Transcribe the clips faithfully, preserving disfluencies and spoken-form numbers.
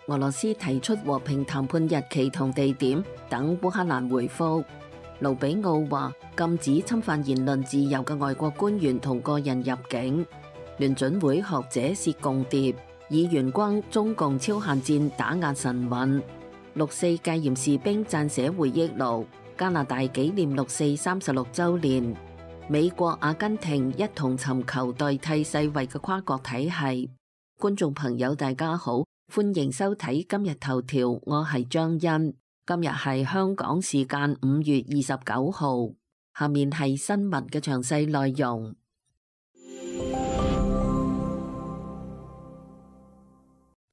俄羅斯提出和平談判日期同地點，等烏克蘭回覆。盧比奧話禁止侵犯言論自由嘅外國官員同個人入境。聯準會學者薛共諜以懸轟中共超限戰打壓神韻。六四戒嚴士兵撰寫回憶錄。加拿大紀念六四三十六週年。美國、阿根廷一同尋求代替世衛嘅跨國體系。觀眾朋友大家好，歡迎收睇今日頭條，我係張欣。今日係香港時間五月二十九號，下面係新聞嘅詳細內容。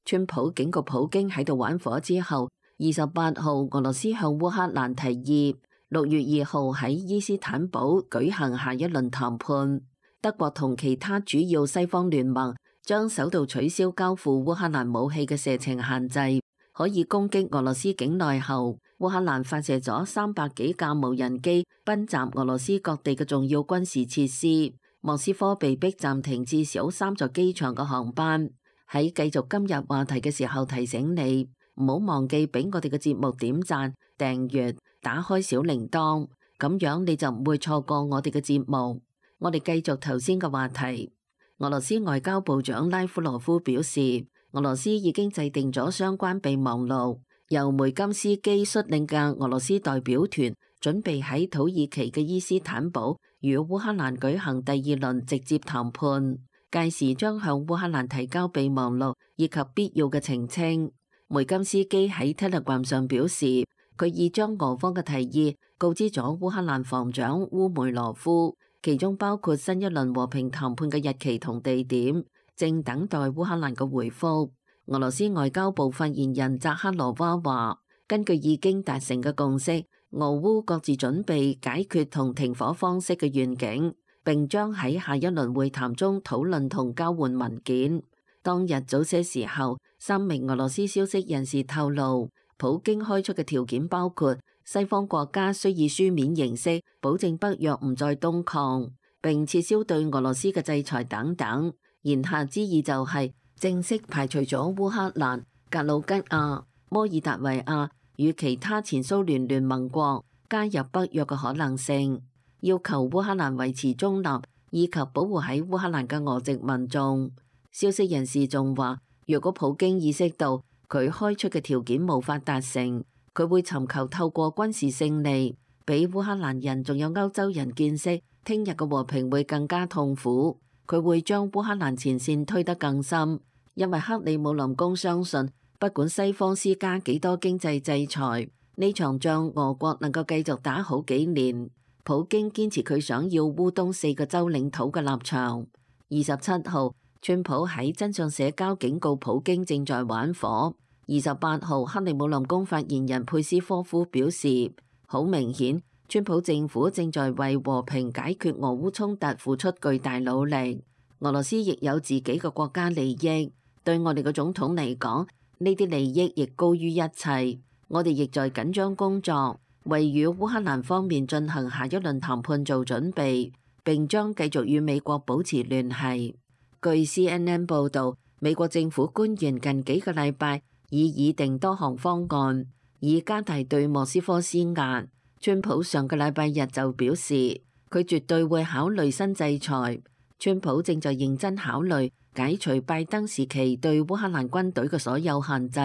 川普警告普京喺度玩火之後，二十八號俄羅斯向烏克蘭提議六月二號喺伊斯坦堡舉行下一輪談判。德國同其他主要西方聯盟將首度取消交付烏克蘭武器嘅射程限制。可以攻擊俄羅斯境內後，烏克蘭發射咗三百幾架無人機奔襲俄羅斯各地嘅重要軍事設施。莫斯科被迫暫停至少三座機場嘅航班。喺繼續今日話題嘅時候，提醒你唔好忘記俾我哋嘅節目點讚、訂閱、打開小鈴鐺，咁樣你就唔會錯過我哋嘅節目。我哋繼續頭先嘅話題。俄羅斯外交部長拉夫羅夫表示，俄羅斯已經制定咗相關備忘錄，由梅金斯基率領嘅俄羅斯代表團準備喺土耳其嘅伊斯坦堡與烏克蘭舉行第二輪直接談判，屆時將向烏克蘭提交備忘錄以及必要嘅澄清。梅金斯基喺 Telegram 上表示，佢已將俄方嘅提議告知咗烏克蘭防長烏梅羅夫，其中包括新一輪和平談判嘅日期同地點，正等待烏克蘭嘅回覆。俄羅斯外交部發言人扎克羅娃話，根據已經達成嘅共識，俄烏各自準備解決同停火方式嘅願景，並將喺下一輪會談中討論同交換文件。當日早些時候，三名俄羅斯消息人士透露，普京開出嘅條件包括西方國家需以書面形式保證北約唔再東擴，並撤銷對俄羅斯嘅制裁等等。言下之意就係正式排除咗烏克蘭、格魯吉亞、摩爾達維亞與其他前蘇聯聯盟國加入北約嘅可能性，要求烏克蘭維持中立，以及保護喺烏克蘭嘅俄籍民眾。消息人士仲話，若果普京意識到佢開出嘅條件無法達成，佢會尋求透過軍事勝利，俾烏克蘭人仲有歐洲人見識，聽日嘅和平會更加痛苦。佢會將烏克蘭前線推得更深，因為克里姆林宮相信，不管西方施加幾多經濟制裁，呢場仗俄國能夠繼續打好幾年。普京堅持佢想要烏東四個州領土嘅立場。二十七號，川普喺真相社交警告普京正在玩火。二十八號，克里姆林宮發言人佩斯科夫表示，好明顯，川普政府正在為和平解決俄烏衝突付出巨大努力。俄羅斯亦有自己嘅國家利益，對我哋嘅總統嚟講，呢啲利益亦高於一切。我哋亦在緊張工作，為與烏克蘭方面進行下一輪談判做準備，並將繼續與美國保持聯繫。據 C N N 報導，美國政府官員近幾個禮拜已擬定多項方案，以加大對莫斯科施壓。川普上個禮拜日就表示，佢絕對會考慮新制裁。川普正在認真考慮解除拜登時期對烏克蘭軍隊嘅所有限制。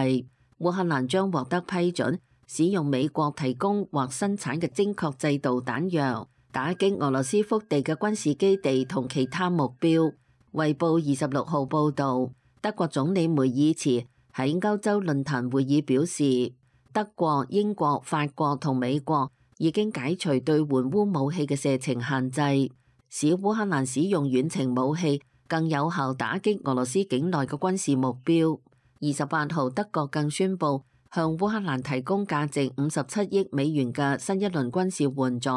烏克蘭將獲得批准使用美國提供或生產嘅精確制導彈藥，打擊俄羅斯腹地嘅軍事基地同其他目標。衛報二十六號報導，德國總理梅爾茨喺歐洲論壇會議表示，德國、英國、法國同美國已經解除對援烏武器嘅射程限制，使烏克蘭使用遠程武器更有效打擊俄羅斯境內嘅軍事目標。二十八號，德國更宣布向烏克蘭提供價值五十七億美元嘅新一輪軍事援助，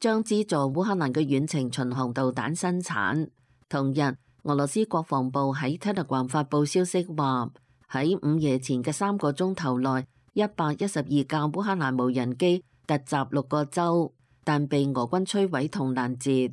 將資助烏克蘭嘅遠程巡航導彈生產。同日，俄羅斯國防部喺 Telegram 發佈消息話，喺午夜前嘅三個鐘頭內，一百一十二架烏克蘭無人機突襲六個州，但被俄軍摧毀同攔截。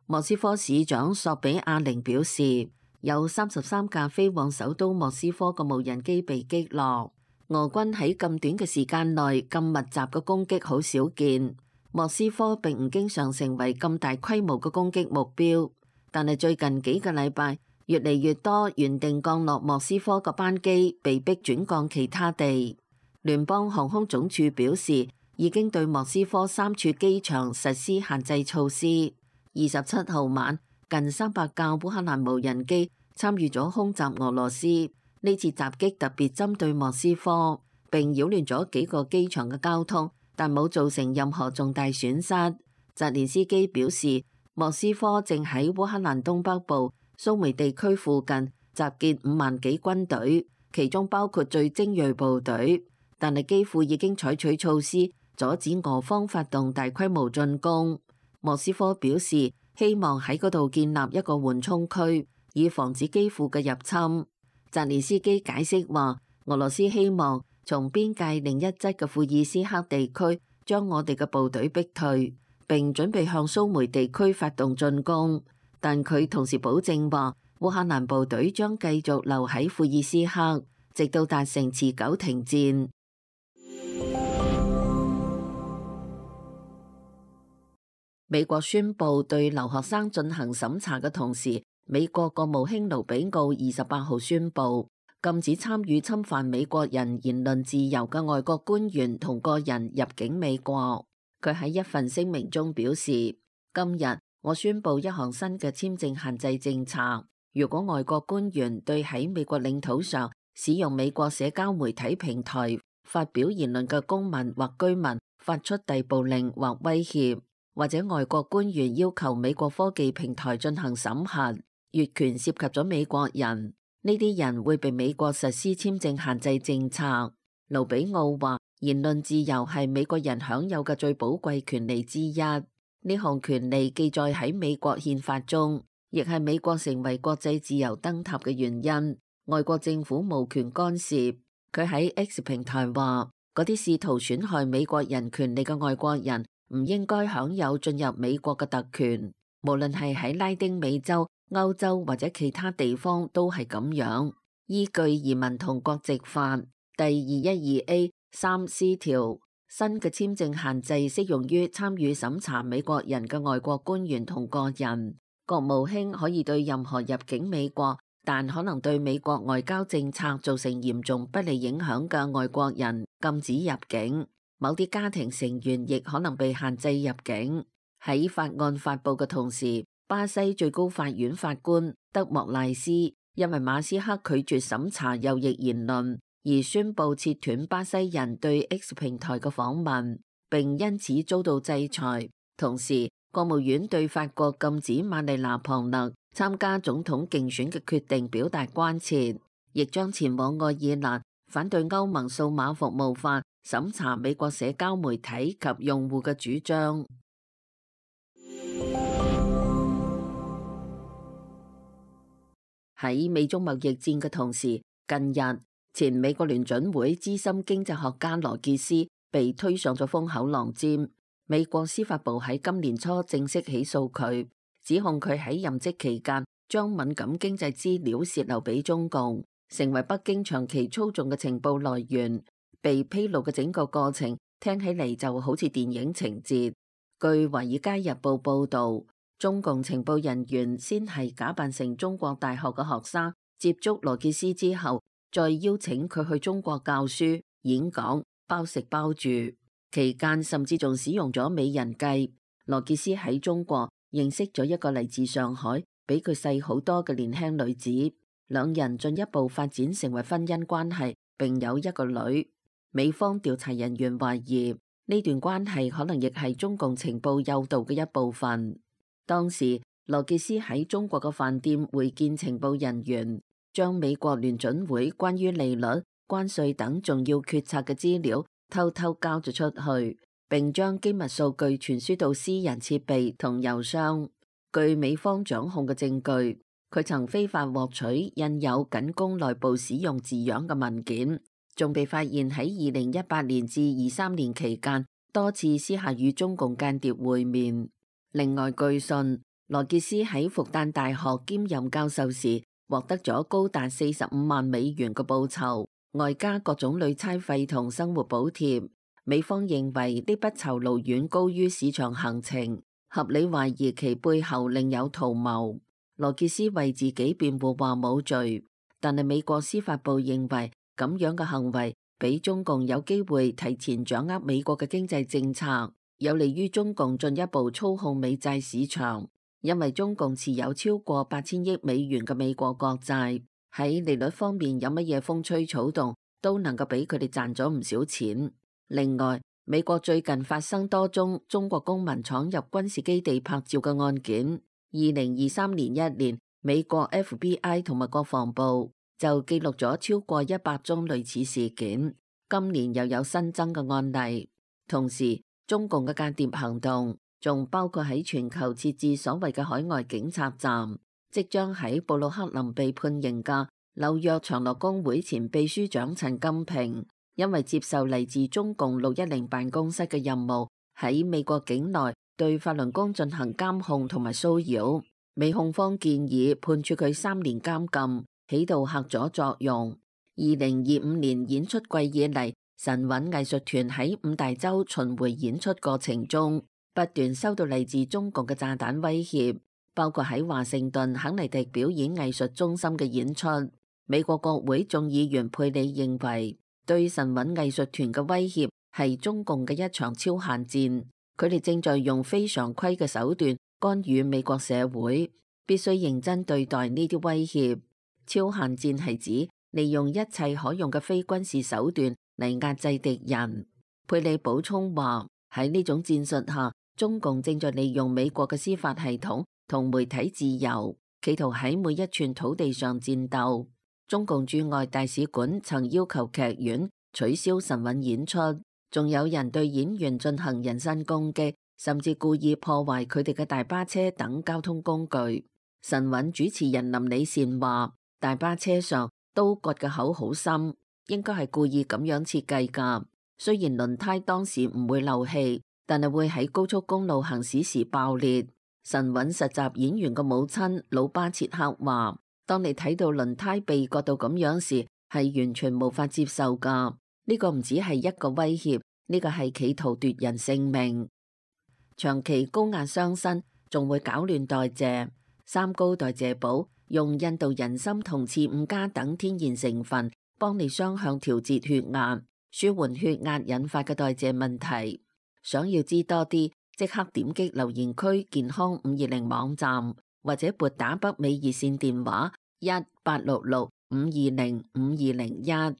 莫斯科市長索比亞寧表示，有三十三架飛往首都莫斯科嘅無人機被擊落。俄軍喺咁短嘅時間內咁密集嘅攻擊好少見。莫斯科並唔經常成為咁大規模嘅攻擊目標，但係最近幾個禮拜，越嚟越多原定降落莫斯科嘅班機被迫轉降其他地。聯邦航空總署表示，已經對莫斯科三處機場實施限制措施。二十七號晚，近三百架烏克蘭無人機參與咗空襲俄羅斯。呢次襲擊特別針對莫斯科，並擾亂咗幾個機場嘅交通，但冇造成任何重大損失。澤連斯基表示，莫斯科正喺烏克蘭東北部蘇梅地區附近集結五萬幾軍隊，其中包括最精銳部隊，但係基輔已經採取措施阻止俄方發動大規模進攻。莫斯科表示希望喺嗰度建立一個緩衝區，以防止基輔嘅入侵。澤連斯基解釋話，俄羅斯希望從邊界另一側嘅庫爾斯克地區將我哋嘅部隊逼退，並準備向蘇梅地區發動進攻。但佢同時保證話，烏克蘭部隊將繼續留喺庫爾斯克，直到達成持久停戰。美國宣布對留學生進行審查嘅同時，美國國務卿盧比奧二十八號宣布禁止參與侵犯美國人言論自由嘅外國官員同個人入境美國。佢喺一份聲明中表示，今日我宣布一項新嘅簽證限制政策，如果外國官員對喺美國領土上使用美國社交媒體平台發表言論嘅公民或居民發出逮捕令或威脅，或者外國官員要求美國科技平台進行審核，越權涉及咗美國人，呢啲人會被美國實施簽證限制政策。盧比奧話，言論自由係美國人享有嘅最寶貴權利之一，呢項權利記載喺美國憲法中，亦係美國成為國際自由燈塔嘅原因。外國政府無權干涉。佢喺 X 平台話，嗰啲試圖損害美國人權利嘅外國人唔應該享有進入美國嘅特權，無論係喺拉丁美洲、歐洲或者其他地方都係咁樣。依據移民同國籍法第二一二 A 三 C 條，新嘅簽證限制適用於參與審查美國人嘅外國官員同個人。國務卿可以對任何入境美國但可能對美國外交政策造成嚴重不利影響嘅外國人禁止入境，某啲家庭成員亦可能被限制入境。喺法案發布嘅同時，巴西最高法院法官德莫賴斯因為馬斯克拒絕審查右翼言論而宣布切斷巴西人對 X 平台嘅訪問，並因此遭到制裁。同時，國務院對法國禁止瑪麗娜龐勒參加總統競選嘅決定表達關切，亦將前往愛爾蘭反對歐盟數碼服務法審查美國社交媒體及用戶嘅主張。喺美中貿易戰嘅同時，近日前美國聯準會資深經濟學家羅傑斯被推上咗風口浪尖。美國司法部喺今年初正式起訴佢，指控佢喺任職期間將敏感經濟資料洩漏俾中共，成為北京長期操縱嘅情報來源。被披露嘅整個過程聽起嚟就好似電影情節。據《華爾街日報》報導，中共情報人員先係假扮成中國大學嘅學生，接觸羅傑斯之後，再邀請佢去中國教書、演講，包食包住。期間甚至仲使用咗美人計。羅傑斯喺中國認識咗一個嚟自上海、比佢細好多嘅年輕女子，兩人進一步發展成為婚姻關係，並有一個女。美方調查人員懷疑呢段關係可能亦係中共情報誘導嘅一部分。當時羅傑斯喺中國嘅飯店會見情報人員，將美國聯準會關於利率、關稅等重要決策嘅資料偷偷交咗出去，並將機密數據傳輸到私人設備同郵箱。據美方掌控嘅證據，佢曾非法獲取印有僅供內部使用字樣嘅文件，仲被發現喺二零一八年至二三年期間多次私下與中共間諜會面。另外據信，羅傑斯喺復旦大學兼任教授時，獲得咗高達四十五萬美元嘅報酬，外加各種旅差費同生活補貼。美方認為呢筆酬勞遠高於市場行情，合理懷疑其背後另有圖謀。羅傑斯為自己辯護話冇罪，但係美國司法部認為咁樣嘅行為俾中共有機會提前掌握美國嘅經濟政策，有利於中共進一步操控美債市場。因為中共持有超過八千億美元嘅美國國債，喺利率方面有乜嘢風吹草動都能夠俾佢哋賺咗唔少錢。另外，美國最近發生多宗中國公民闖入軍事基地拍照嘅案件。二零二三年一年，美國 F B I 同埋國防部就記錄咗超過一百宗類似事件。今年又有新增嘅案例。同時，中共嘅間諜行動仲包括喺全球設置所謂嘅海外警察站。即將喺布魯克林被判刑嘅紐約長樂工會前秘書長陳金平，因為接受嚟自中共六一零辦公室嘅任務，喺美國境內對法輪功進行監控同埋騷擾。美控方建議判處佢三年監禁，起到嚇阻作用。二零二五年演出季以嚟，神韻藝術團喺五大洲巡迴演出過程中，不斷收到嚟自中共嘅炸彈威脅，包括喺華盛頓肯尼迪表演藝術中心嘅演出。美國國會眾議員佩里認為，對神韻藝術團嘅威脅係中共嘅一場超限戰，佢哋正在用非常規嘅手段干預美國社會，必須認真對待呢啲威脅。超限戰係指利用一切可用嘅非軍事手段嚟壓制敵人。佩里補充話，喺呢種戰術下，中共正在利用美國嘅司法系統同媒體自由，企圖喺每一寸土地上戰鬥。中共駐外大使館曾要求劇院取消神韻演出，仲有人對演員進行人身攻擊，甚至故意破壞佢哋嘅大巴車等交通工具。神韻主持人林李善話，大巴車上刀割嘅口好深，應該係故意咁樣設計㗎。雖然輪胎當時唔會漏氣，但係會喺高速公路行駛時爆裂。神韻實習演員嘅母親魯巴切克話，當你睇到輪胎被割到咁樣時，係完全無法接受㗎。呢個唔只係一個威脅，呢個係企圖奪人性命。長期高壓傷身，仲會搞亂代謝。三高代謝寶用印度人參同刺五加等天然成分，幫你雙向調節血壓，舒緩血壓引發嘅代謝問題。想要知多啲，即刻點擊留言區健康五二零網站，或者撥打北美熱線電話一八六六五二零五二零一。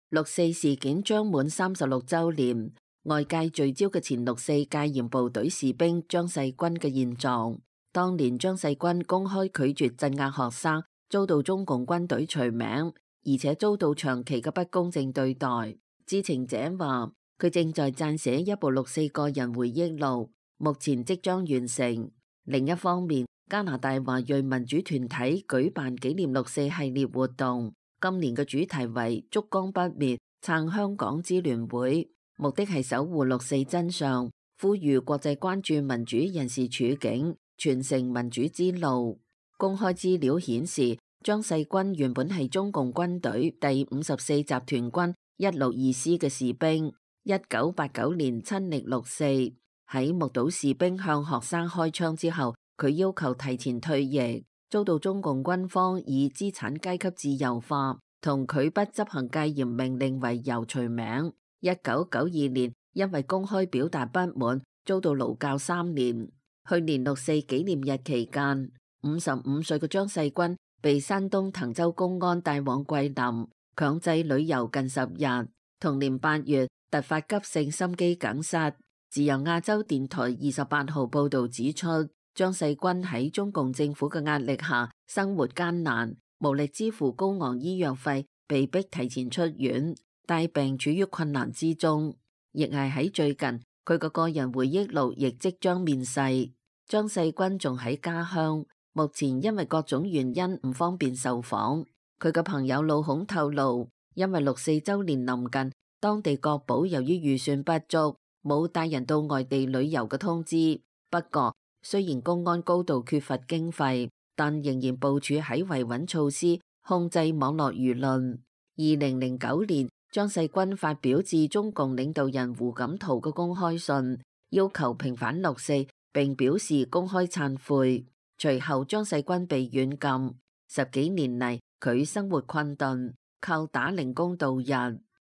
六四事件將滿三十六週年，外界聚焦嘅前六四戒嚴部隊士兵張世軍嘅現狀。當年張世軍公開拒絕鎮壓學生，遭到中共軍隊除名，而且遭到長期嘅不公正對待。知情者話，佢正在撰寫一部六四個人回憶錄，目前即將完成。另一方面，加拿大華裔民主團體舉辦紀念六四系列活動，今年嘅主題為燭光不滅，撐香港支聯會，目的係守護六四真相，呼籲國際關注民主人士處境，傳承民主之路。公開資料顯示，張世軍原本係中共軍隊第五十四集團軍一六二師嘅士兵，一九八九年親歷六四，喺目睹士兵向學生開槍之後，佢要求提前退役，遭到中共軍方以資產階級自由化同拒不執行戒嚴命令為由除名。一九九二年因為公開表達不滿，遭到勞教三年。去年六四紀念日期間，五十五歲嘅張世軍被山東滕州公安帶往桂林，強制旅遊近十日。同年八月突發急性心肌梗塞。自由亞洲電台二十八號報道指出，張世軍喺中共政府嘅壓力下生活艱難，無力支付高昂醫藥費，被迫提前出院，帶病處於困難之中。亦係喺最近，佢個個人回憶錄亦即將面世。張世軍仲喺家鄉，目前因為各種原因唔方便受訪。佢嘅朋友老孔透露，因為六四周年臨近，當地國保由於預算不足，冇帶人到外地旅遊嘅通知。不過雖然公安高度缺乏經費，但仍然部署喺維穩措施，控制網絡輿論。二零零九年，張世軍發表致中共領導人胡錦濤嘅公開信，要求平反六四，並表示公開懺悔。隨後張世軍被軟禁，十幾年嚟佢生活困頓，靠打零工度日。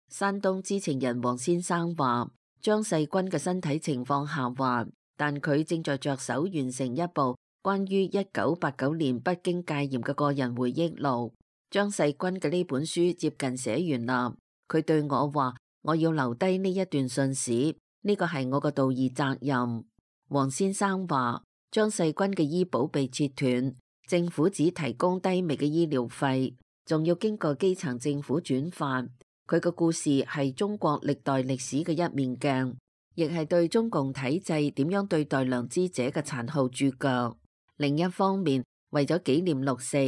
山東知情人王先生話，張世軍嘅身體情況下滑，但佢正在着手完成一部關於一九八九年北京戒嚴嘅個人回憶錄。張世軍嘅呢本書接近寫完啦，佢對我話，我要留低呢一段信史，呢個係我個道義責任。王先生話，張世軍嘅醫保被切斷，政府只提供低微嘅醫療費，仲要經過基層政府轉發。佢嘅故事係中國歷代歷史嘅一面鏡，亦係對中共體制點樣對待良知者嘅殘酷注腳。另一方面，為咗紀念六四，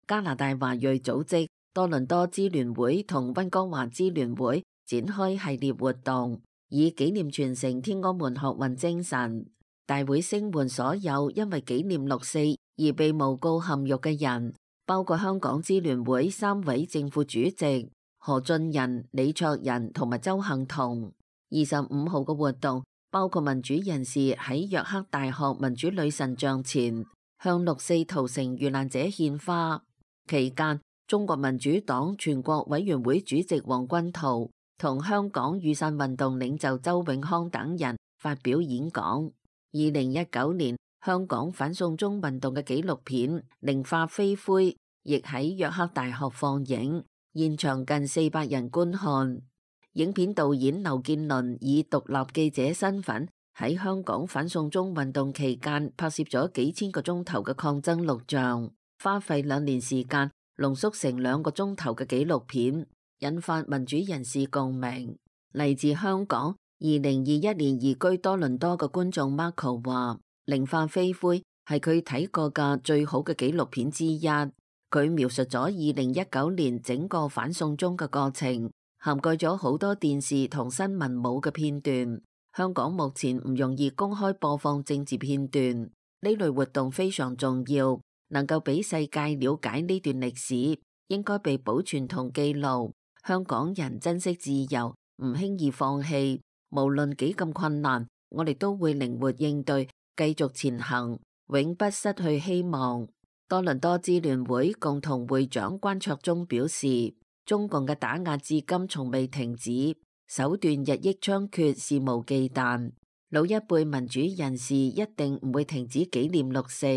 加拿大華裔組織多倫多支聯會同溫哥華支聯會展開系列活動，以紀念傳承天安門學運精神。大會聲援所有因為紀念六四而被誣告陷獄嘅人，包括香港支聯會三位正副主席何俊仁、李卓人同埋周幸彤。二十五號嘅活動包括民主人士喺約克大學民主女神像前向六四屠城遇難者獻花。期間，中國民主黨全國委員會主席王軍濤同香港雨傘運動領袖周永康等人發表演講。二零一九年，香港反送中運動嘅紀錄片《零化飛灰》亦喺約克大學放映，現場近四百人觀看。影片導演劉建倫以獨立記者身份喺香港反送中運動期間拍攝咗幾千個鐘頭嘅抗爭錄像，花費兩年時間濃縮成兩個鐘頭嘅紀錄片，引發民主人士共鳴。嚟自香港二零二一年移居多倫多嘅觀眾 Marco 話，零化飛灰係佢睇過嘅最好嘅紀錄片之一。佢描述咗二零一九年整個反送中嘅過程，涵蓋咗好多電視同新聞冇嘅片段。香港目前唔容易公開播放政治片段，呢類活動非常重要。能夠俾世界了解呢段歷史，應該被保存同記錄。香港人珍惜自由，唔輕易放棄。無論幾咁困難，我哋都會靈活應對，繼續前行，永不失去希望。多倫多支聯會共同會長關卓忠表示，中共嘅打壓至今從未停止，手段日益猖獗，肆無忌憚。老一輩民主人士一定唔會停止紀念六四。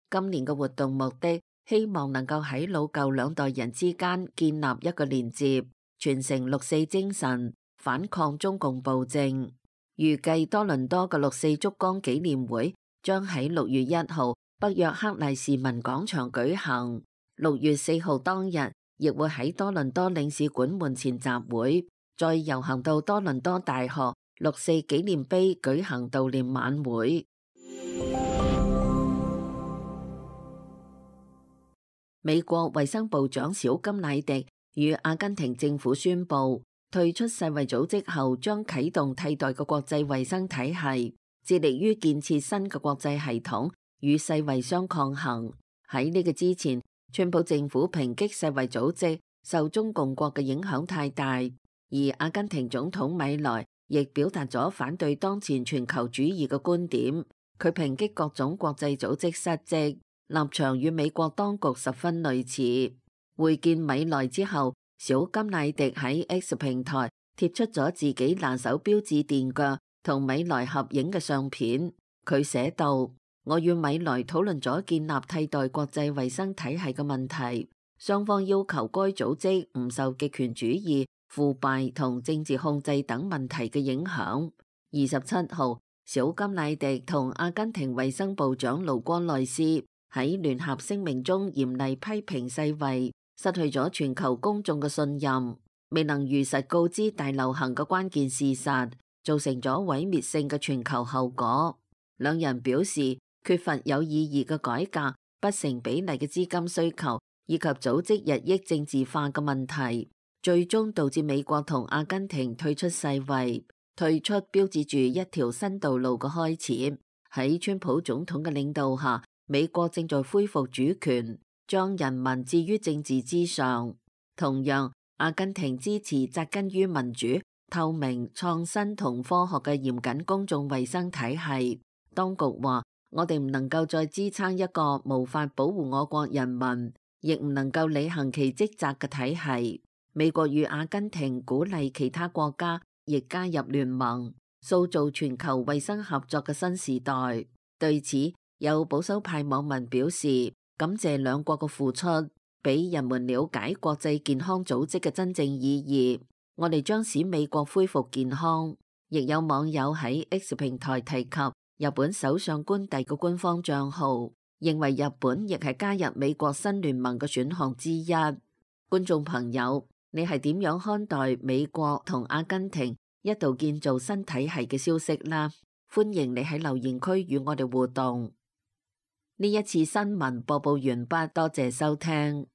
今年嘅活動目的，希望能夠喺老舊兩代人之間建立一個連接，傳承六四精神，反抗中共暴政。預計多倫多嘅六四燭光紀念會將喺六月一號北約克麗士文廣場舉行，六月四號當日亦會喺多倫多領事館門前集會，再遊行到多倫多大學六四紀念碑舉行悼念晚會。美國衛生部長小金乃迪與阿根廷政府宣布退出世衛組織後，將啟動替代嘅國際衛生體系，致力於建設新嘅國際系統與世衛相抗衡。喺呢個之前，川普政府抨擊世衛組織受中共國嘅影響太大，而阿根廷總統米萊亦表達咗反對當前全球主義嘅觀點。佢抨擊各種國際組織失職，立場與美國當局十分類似。會見米萊之後，小金乃迪喺 X 平台貼出咗自己拿手標誌墊腳同米萊合影嘅相片。佢寫道：我與米萊討論咗建立替代國際衛生體系嘅問題，雙方要求該組織唔受極權主義、腐敗同政治控制等問題嘅影響。二十七號，小金乃迪同阿根廷衛生部長盧戈內斯喺聯合聲明中嚴厲批評世衛失去咗全球公眾嘅信任，未能如實告知大流行嘅關鍵事實，造成咗毀滅性嘅全球後果。兩人表示缺乏有意義嘅改革、不成比例嘅資金需求以及組織日益政治化嘅問題，最終導致美國同阿根廷退出世衛。退出標誌住一條新道路嘅開始。喺川普總統嘅領導下，美國正在恢復主權，將人民置於政治之上。同樣，阿根廷支持扎根於民主、透明、創新同科學嘅嚴謹公眾衛生體系。當局話：我哋唔能夠再支撐一個無法保護我國人民，亦唔能夠履行其職責嘅體系。美國與阿根廷鼓勵其他國家亦加入聯盟，塑造全球衛生合作嘅新時代。對此，有保守派網民表示感謝兩國嘅付出，俾人們了解國際健康組織嘅真正意義。我哋將使美國恢復健康。亦有網友喺 X 平台提及日本首相官邸嘅官方賬號，認為日本亦係加入美國新聯盟嘅選項之一。觀眾朋友，你係點樣看待美國同阿根廷一度建造新體系嘅消息啦？歡迎你喺留言區與我哋互動。呢一次新聞播報完畢，多謝收聽。